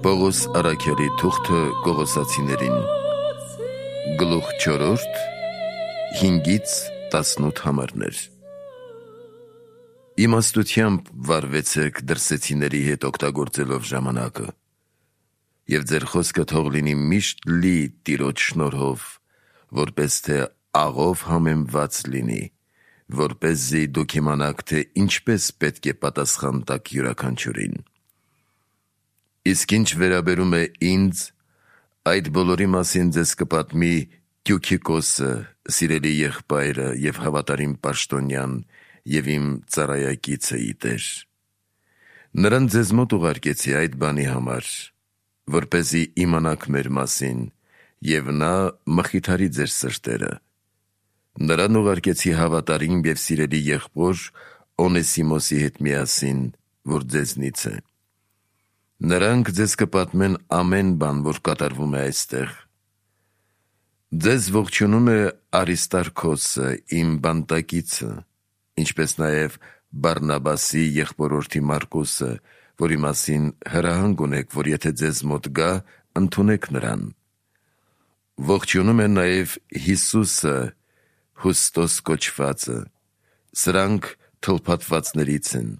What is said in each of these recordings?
Պողոս առաքյալի թուղթը Կողոսացիներին, գլուխ 4, 5-ից 18 համարներ։ Իմաստությամբ վարվեցեք դրսեցիների հետ օգտագործելով ժամանակը, և ձեր խոսքը թող լինի միշտ լի Տիրոջ շնորհով, որպես թե աղով համեմված լինի, որպեսզի դուք իմանաք, թե ինչպես պետք է պատասխան տաք յուրաքանչյուրին։ Իսկ ինչ վերաբերում է ինձ, այդ բոլորի մասին ձեզ կպատմի Տյուքիկոսը, սիրելի եղբայրը և հավատարիմ պաշտոնյան և իմ ծառայակիցը ի Տեր։ Նրան ձեզ մոտ ուղարկեցի այդ բանի համար, որպեսզի իմանաք մեր մասին, և նա մխիթարի ձեր սրտերը։ Նրան ուղարկեցի հավատարիմ և սիրելի եղբոր Օնեսիմոսի հետ միասին, որ ձեզնից է։ Նրանք ձեզ կպատմեն ամեն բան, որ կատարվում է այստեղ։ Ձեզ ողջունում է Արիստարքոսը, իմ բանտակիցը, ինչպես նաև Բարնաբասի եղբորորդի Մարկոսը, որի մասին հրահանգ ունեք, որ եթե ձեզ մոտ գա, ընդունեք նրան։ Ողջունում է նաև Հիսուսը, Հուստոս կոչվածը։ Սրանք թլփատվածներից են։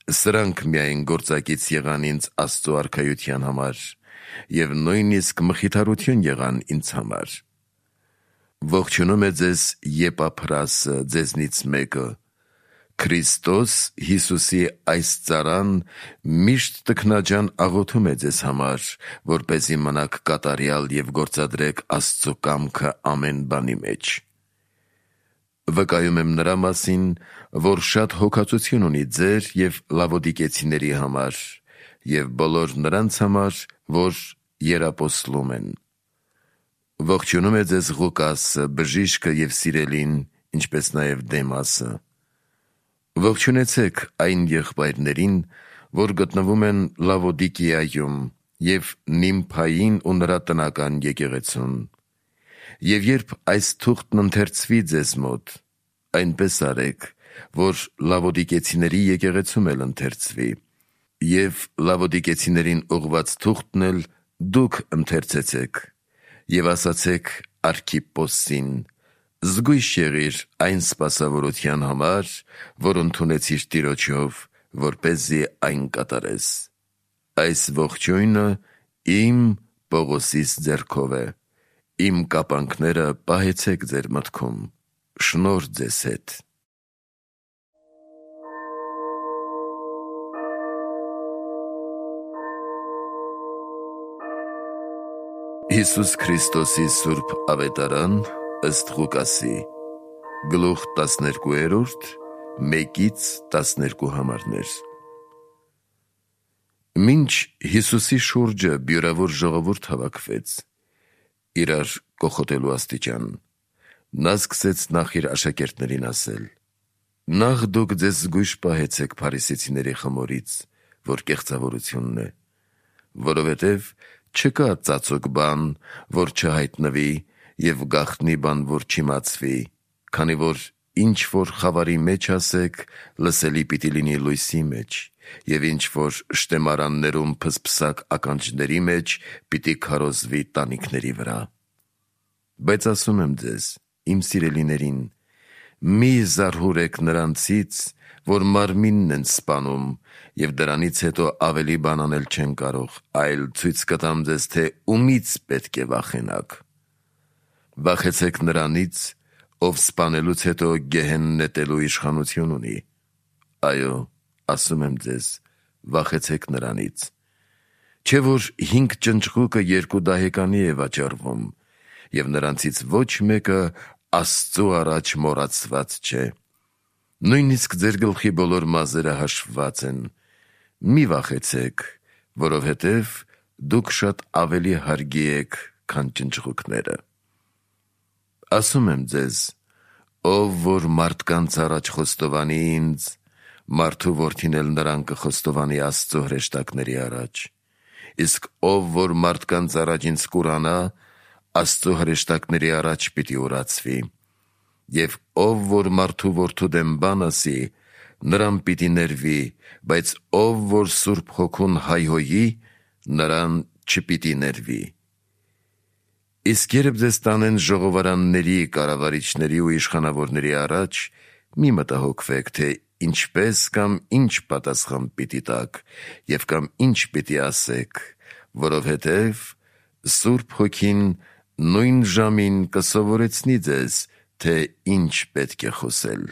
Սրանք միայն գործակից եղան ինձ Աստծո արքայության համար, և նույնիսկ մխիթարություն եղան ինձ համար։ Ողջունում է ձեզ Եպափրասը, ձեզնից մեկը։ Քրիստոս Հիսուսի այս ծառան միշտ տքնաջան աղոթում է ձեզ համար, որպեսզի մնաք կատարյալ և գործադրեք Աստծո կամքը ամեն բանի մեջ։ Վկայում եմ նրա մասին, որ շատ հոգածություն ունի ձեր և լավոդիկեցիների համար, և բոլոր նրանց համար, որ եռապոստլում են։ Ողջունում է ձեզ Ղուկասը, բժիշկը և սիրելին, ինչպես նաև Դեմասը։ Ողջունեցեք այն եղբայրներին, որ գտնվում են Լավոդիկիայում, և Նիմփային ու նրա տնական եկեղեցուն։ Եվ երբ այս թուղթն ընթերցվի ձեզ մոտ, այնպես արեք, որ լավոդիկեցիների եկեղեցում էլ ընթերցվի, և լավոդիկեցիներին ուղված թուղթն էլ դուք ընթերցեցեք, և ասացեք Արքիպոսին. զգույշ եղիր այն սպասավորության համար, որ ընդունեցիր Տիրոջով, որպեսզի այն կատարես։ Այս ողջույնը իմ Պողոսիս ձեռքով է։ Իմ կապանքները պահեցեք ձեր մտքում։ Շնորհ ձեզ հետ։ Հիսուս Քրիստոսի Սուրբ Ավետարան ըստ Ղուկասի, գլուխ 12, 1-12 համարներ։ Մինչ Հիսուսի շուրջը բյուրավոր ժողովուրդ հավաքվեց, իրար կոխոտելու աստիճան, նա սկսեց նախ իր աշակերտներին ասել. «Նախ դուք ձեզ զգույշ պահեցեք փարիսեցիների խմորից, որ կեղծավորությունն է, որովհետև չկա ծածուկ բան, որ չհայտնվի, և գաղտնի բան, որ չիմացվի, քանի որ ինչ որ խավարի մեջ ասեք, լսելի պիտի լինի լույսի մեջ, և ինչ որ շտեմարաններում փսփսակ ականջների մեջ, պիտի քարոզվի տանիքների վրա։ Բայց ասում եմ ձեզ, իմ սիրելիներին, մի զարհուրեք նրանցից, որ մարմինն են սպանում, և դրանից հետո ավելի բան անել չեն կարող, այլ ցույց կտամ ձեզ, թե ումից պետք է վախենաք։ Վախեցեք նրանից, ով սպանելուց հետո գեհեն նետելու իշխանություն ունի։ Այո, ասում եմ ձեզ, վախեցեք նրանից։ Չէ՞ որ 5 ճնճղուկը 2 դահեկանի է վաճառվում, և նրանցից ոչ մեկը Աստծու առաջ մոռացված չէ։ Նույնիսկ ձեր գլխի բոլոր մազերը հաշվված են։ Մի վախեցեք, որովհետև դուք շատ ավելի հարգի եք, քան ճնճղուկները։ Ասում եմ ձեզ, ով որ մարդկանց առաջ խոստովանի ինձ, մարդու որդին էլ նրան կխոստովանի Աստծո հրեշտակների առաջ։ Իսկ ով որ մարդկանց առաջ ինձ կուրանա, Աստծո հրեշտակների առաջ պիտի ուրացվի։ Եվ ով որ մարդու որդու դեմ բան ասի, նրան պիտի ներվի, բայց ով որ Սուրբ Հոգուն հայհոյի, նրան չպիտի ներվի։ Իսկ երբ ձեզ տանեն ժողովարանների, կառավարիչների ու իշխանավորների առաջ, մի մտահոգվեք, թե ինչպես կամ ինչ պատասխան պիտի տաք և կամ ինչ պիտի ասեք, որովհետև Սուրբ Հոգին նույն ժամին կսովորեցնի ձեզ, թե ինչ պետք է խոսել։